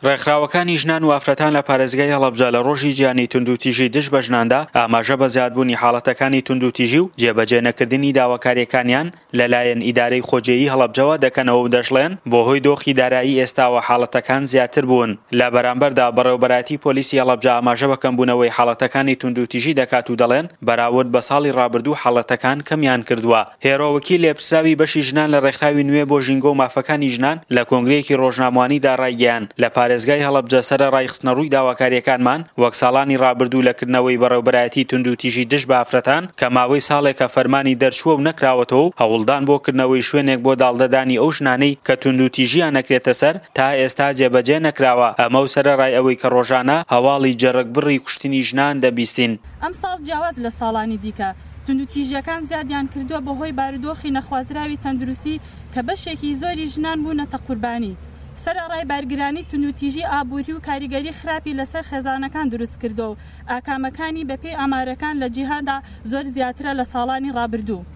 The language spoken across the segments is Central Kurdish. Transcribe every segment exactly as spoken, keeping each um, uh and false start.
ڕێکخراوەکانی ژنان و ئافرەتان لە پارێزگای هەڵەبجە لە ڕۆژی جیهانی توندوتیژی دژ بە ژناندا ئاماژە بە زیادبوونی حاڵەتەکانی توندوتیژی و جێبەجێ نەکردنی داواکارییەکانیان لەلایەن ئیدارەی خۆجێیی هەڵەبجەوە دەکەنەوە و دەشڵێن بۆهۆی دۆخی دارایی ئێستاوە حاڵەتەکان زیاتر بوون. لە بەرامبەردا بەڕێوەبەرایەتی پۆلیسی هەڵەبجە ئاماژە بە کەمبوونەوەی حاڵەتەکانی توندوتیژی دەکات و دەڵێن بەراورد بە ساڵی ڕابردوو حاڵەتەکان کەمیان کردووە. هێرۆ وەکیل لێپرسراوی بەشی ژنان لە ڕێکخراوی نوێ بۆ ژینگە و مافەکانی ژنان لە کۆنگرەیەکی ڕۆژنامەوانیدا ڕایگەیاند لە پارێزگای هەڵەبجە سەرەڕای خستنەڕووی داواکارییەکانمان وەک ساڵانی ڕابردوو لە کردنەوەی بەڕێوەبەرایەتی توندوتیژی دژ بە ئافرەتان کە ماوەی ساڵێکە فەرمانی دەرچووە و نەکراوەتەوە و هەوڵدان بۆ کردنەوەی شوێنێک بۆ داڵدەدانی ئەو ژنانەی کە توندوتیژیان نەکرێتە سەر تا ئێستا جێبەجێ نەکراوە، ئەمە و سەرەڕای ئەوەی کە ڕۆژانە هەواڵی جەرگبڕی کوشتنی ژنان دەبیستین. ئەمساڵ جیاواز لە ساڵانی دیکە توندوتیژیەکان زیادیان کردووە بەهۆی بارودۆخی نەخوازراوی تەندروستی کە بەشێکی زۆری ژنان بوونەتە قوربانی، سەرەڕای بارگرانی توندوتیژی ئابووری و کاریگەری خراپی لەسەر خێزانەکان دروست کردووە و ئاکامەکانی بەپێی ئامارەکان لە جیهاندا زۆر زیاترە لە ساڵانی ڕابردوو.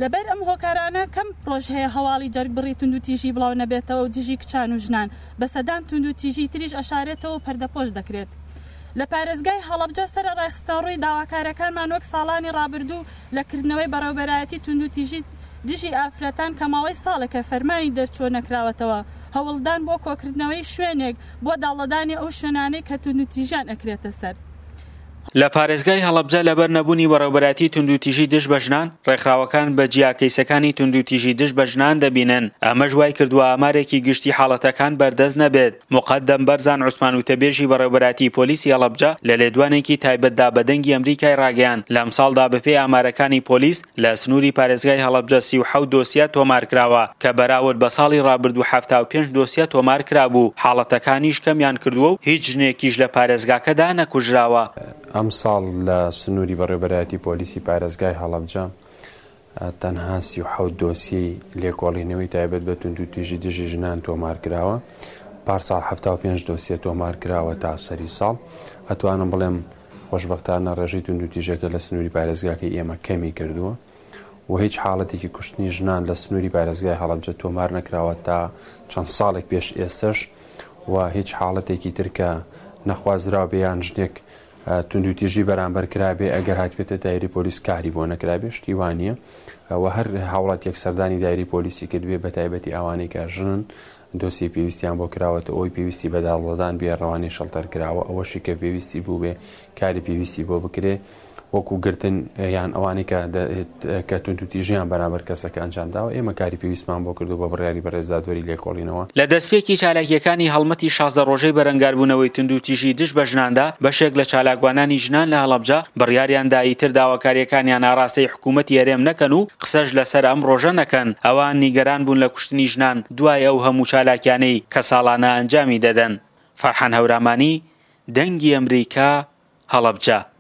لەبەر ئەم هۆکارانە کەم ڕۆژ هەیە هەواڵی جەرگبڕی توندوتیژی بڵاو نەبێتەوە و دژی کچان و ژنان بە سەدان توندوتیژی تریش ئەشارێتەوە و پەردەپۆش دەکرێت. لە پارێزگای هەڵەبجە سەرەڕای خستنەڕووی داواکارەکانمان وەک ساڵانی ڕابردوو لە کردنەوەی بەڕێوەبەرایەتی توندوتیژی دژی ئافرەتان کە ماوەی ساڵێکە فەرمانی دەرچووە نەکراوەتەوە، هەوڵدان بۆ کۆکردنەوەی شوێنێک بۆ داڵدەدانی ئەو شوێنانەی کە توندوتیژیان ئەکرێتە سەر. لە پارێزگای هەڵەبجە لەبەر نەبوونی بەڕێوەبەرایەتی توندوتیژی دژ بە ژنان، ڕێکخراوەکان بە جیا کەیسەکانی توندوتیژی دژ بە ژنان دەبینن، ئەمەش وایکردووە ئامارێکی گشتی حاڵەتەکان بەردەست نەبێت. موقەدەم بەرزان عوسمان وتەبێژی بەڕێوەبەرایەتی پۆلیسی هەڵەبجە لە لێدوانێکی تایبەتدا بە دەنگی ئەمریکای ڕاگەیاند، لەمساڵدا بەپێی ئامارەکانی پۆلیس لە سنووری پارێزگای هەڵەبجە سی و حەوت دۆسیە تۆمارکراوە کە بەراورد بە ساڵی ڕابردوو حەفتا و پێنج دۆسیە تۆمارکرابوو، حاڵەتەکانیش کەمیان کردووە و هیچ ژنێکیش لە پارێزگاکەدا نەکوژراوە. ئەمساڵ لە سنووری بەڕێوەبەرایەتی پۆلیسی پارێزگای هەڵەبجە تەنها سی و حەوت دۆسیەی لێکۆڵینەوەی تایبەت بە توندوتیژی دژی ژنان تۆمارکراوە. پارساڵ حەفتا و پێنج دۆسیە تۆمارکراوە تا سەری ساڵ. ئەتوانم بڵێم خۆشبەختانە ڕێژەی توندوتیژەکە لە سنووری پارێزگاکەی ئێمە کەمی کردووە و هیچ حاڵەتێکی کوشتنی ژنان لە سنووری پارێزگای هەڵەبجە تۆمار نەکراوە تا چەند ساڵێک پێش ئێستش و هیچ حاڵەتێکی تر کە نەخوازراو بێ یان ژنێک توندوتیژی بەرامبەر کرابێ ئەگەر هاتبێتە دایری پۆلیس کاری بۆ نەکرابێ شتی وانییە و هەر هاوڵاتیەک سەردانی دایری پۆلیسی کردبێ بە تایبەتی ئەوانەی کە ژنن دۆسیە پێویستیان بۆ کراوەتە ئەوەی پێویستی بە داڵدەدان بێ ڕەوانەی شەڵتەر کراوە، ئەوەشی کە پێویستی بوو بێ کاری پێویستی بۆ بکرێ وەکو گرتن یان ئەوانەی کە توندوتیژیان بەرامبەر کەسەکە ئەنجام داوە ئێمە کاری پێویستمان بۆ کردو بە بڕیاری بەڕێزدادوەری لێکۆڵینەوە. لە دەستپێکی چالاکیەکانی هەڵمەتی شازدە ڕۆژەی بەرەنگاربوونەوەی توندوتیژی دژ بە ژناندا بەشێک لە چالاکوانانی ژنان لە هەڵەبجە بڕیاریان دا ئیتر داواکاریەکانیان ئاراستەی حکوومەتی هەرێم نەکەن و قسەش لەسەر ئەم ڕۆژە نەکەن. ئەوان نیگەران بوون لە کوشتنی ژنان دوای ئەو هەموو چالاکیانەی کە ساڵانە ئەنجامی دەدەن. فەرحان هەورامانی، دەنگی ئەمریکا، هەڵەبجە.